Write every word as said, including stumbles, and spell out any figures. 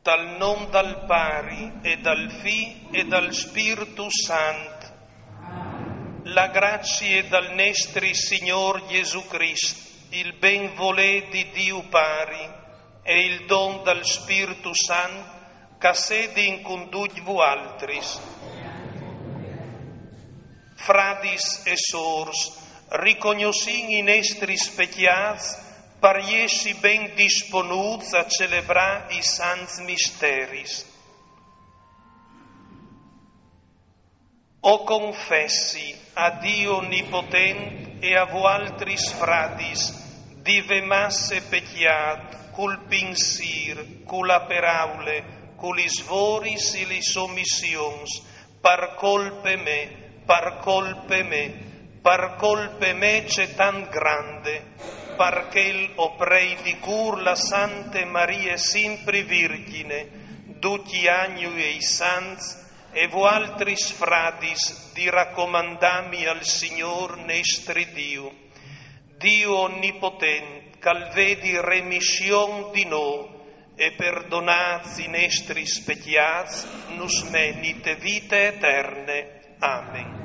Dal nom dal Pari e dal Fi e dal Spirtu Sant. La grazie dal nestri Signor Gesù Crist, il ben volé di Diu Pari e il don dal Spirtu Sant, che sedin cun ducj vualtris. Fradis e sôrs, ricognossìn i nestris pecjâts par jessi ben disponuts a celebrâ i sants misteris. O confessi a Diu Onnipotent e a vualtris fradis, di vê masse pecjât, cul pinsîr, cu la peraule, cu lis voris e lis omissions, par colpe mê, par colpe mê, par colpe mê cetant grande, par chel o prei di cûr la Sante Marie simpri Virgjine, ducj i agnui e i sants, e vualtris fradis di racomandâmi al Signôr nestri Diu. Diu Onnipotent, che al vedi remission di nô e perdonâts i nestris pecjâts, nus meni te vite eterne. Amen.